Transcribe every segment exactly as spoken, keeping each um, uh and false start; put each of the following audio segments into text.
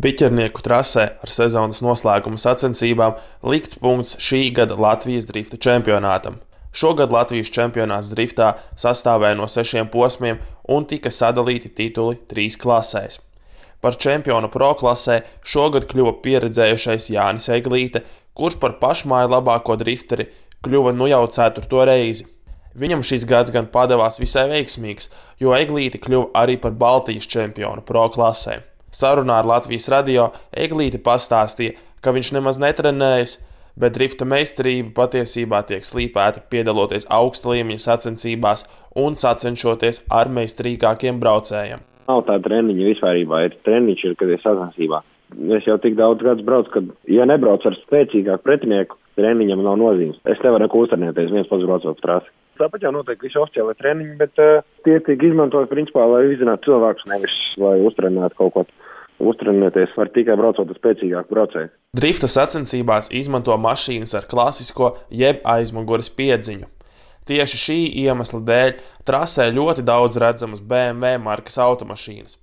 Biķernieku trasē ar sezonas noslēguma sacensībām likts punkts šī gada Latvijas drifta čempionātam. Šogad Latvijas čempionāts driftā sastāvēja no sešiem posmiem un tika sadalīti tituli trīs klasēs. Par čempionu pro klasē šogad kļuva pieredzējušais Jānis Eglīte, kurš par pašmāju labāko drifteri kļuva nu jau ceturto reizi. Viņam šis gads gan padevās visai veiksmīgs, jo Eglīte kļuva arī par Baltijas čempionu pro klasē. Sarunā ar Latvijas radio Eglīte pastāstīja, ka viņš nemaz netrenējas, bet drifta meistarība patiesībā tiek slīpēta piedaloties augsta līmeņa sacensībās un sacenšoties ar meistarīgākiem braucējiem. Nav tā treniņa vispārībā, ir treniņš, ir, kad ir sacensībā. Es jau tik daudz gadus braucu, ka, ja nebrauc ar spēcīgāku pretinieku, treniņam nav nozīmes. Es nevaru neko uztrenēties, viens pats braucot pa trasi. Tāpat jau notiek visi oficiāli treniņi, bet uh, tie tiek izmantot principā, lai izzinātu cilvēkus, nevis lai uztrenētu kaut ko. Uztrenēties var tikai braucot ar spēcīgāku braucēju. Drifta sacensībās izmanto mašīnas ar klasisko jeb aizmugures piedziņu. Tieši šī iemesla dēļ trasē ļoti daudz redzamas B M W markas automašīnas.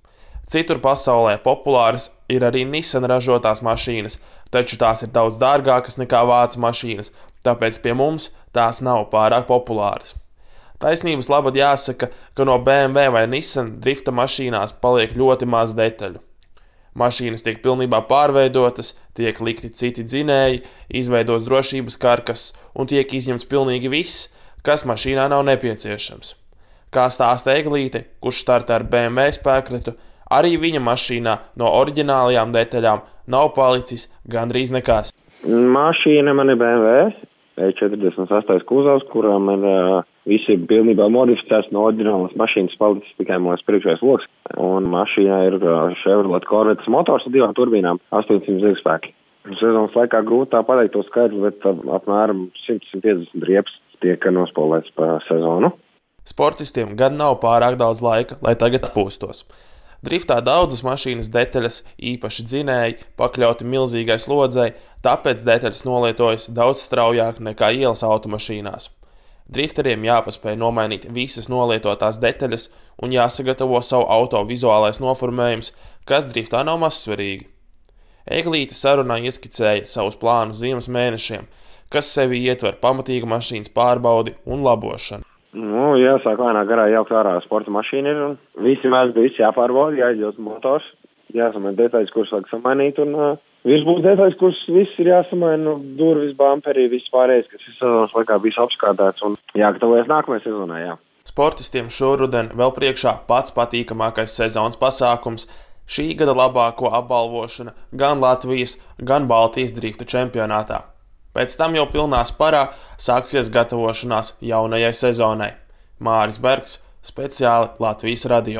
Citur pasaulē populāras ir arī Nissan ražotās mašīnas, taču tās ir daudz dārgākas nekā vācu mašīnas, tāpēc pie mums tās nav pārāk populāras. Taisnības labad jāsaka, ka no B M W vai Nissan drifta mašīnās paliek ļoti maz detaļu. Mašīnas tiek pilnībā pārveidotas, tiek likti citi dzinēji, izveidos drošības karkas un tiek izņemts pilnīgi viss, kas mašīnā nav nepieciešams. Kā stāsta Eglīte, kurš startē ar B M W spēkretu, arī viņa mašīnā no oriģinālajām detaļām nav palicis gandrīz nekas. Mašīna man ir B M W E četrdesmit astoņi kuzovs, kurā man uh, visi ir pilnībā modificēts no oriģinālas mašīnas, palicis tikai mūsu priekšējais loks. Un mašīnā ir uh, Chevrolet Corvettes motors ar divām turbīnām, astoņsimt zirgspēki. Sezonas laikā grūti tā pateikt to skaidru, bet uh, apmēram simt līdz piecdesmit riepas tiek nospolēts pa sezonu. Sportistiem gan nav pārāk daudz laika, lai tagad atpūstos. Driftā daudzas mašīnas detaļas, īpaši dzinēji, pakļauti milzīgai slodzei, tāpēc detaļas nolietojas daudz straujāk nekā ielas automašīnās. Drifteriem jāpaspēj nomainīt visas nolietotās detaļas un jāsagatavo savu auto vizuālais noformējums, kas driftā nav mazsvarīgi. Eglīte sarunā ieskicēja savus plānus ziemas mēnešiem, kas sevi ietver pamatīgu mašīnas pārbaudi un labošanu. Nu, jāsāk lēnā garā jaukt ārā sporta mašīna ir un visi mēs visi jāpārbauda, jāizļaut motors, jāsamaina detaļas, kuras vajag samainīt un uh, virsbūs detaļas, kuras viss ir jāsamaina, nu, durvis, bamperī, viss pārējais, kas ir sezonas laikā bijis apskādēts un jāgatavojas nākamajai sezonai, jā. Sportistiem šoruden vēl priekšā pats patīkamākais sezonas pasākums – šī gada labāko apbalvošana gan Latvijas, gan Baltijas drifta čempionātā. Pēc tam jau pilnā sparā sāksies gatavošanās jaunajai sezonai. Māris Bergs, speciāli Latvijas radio.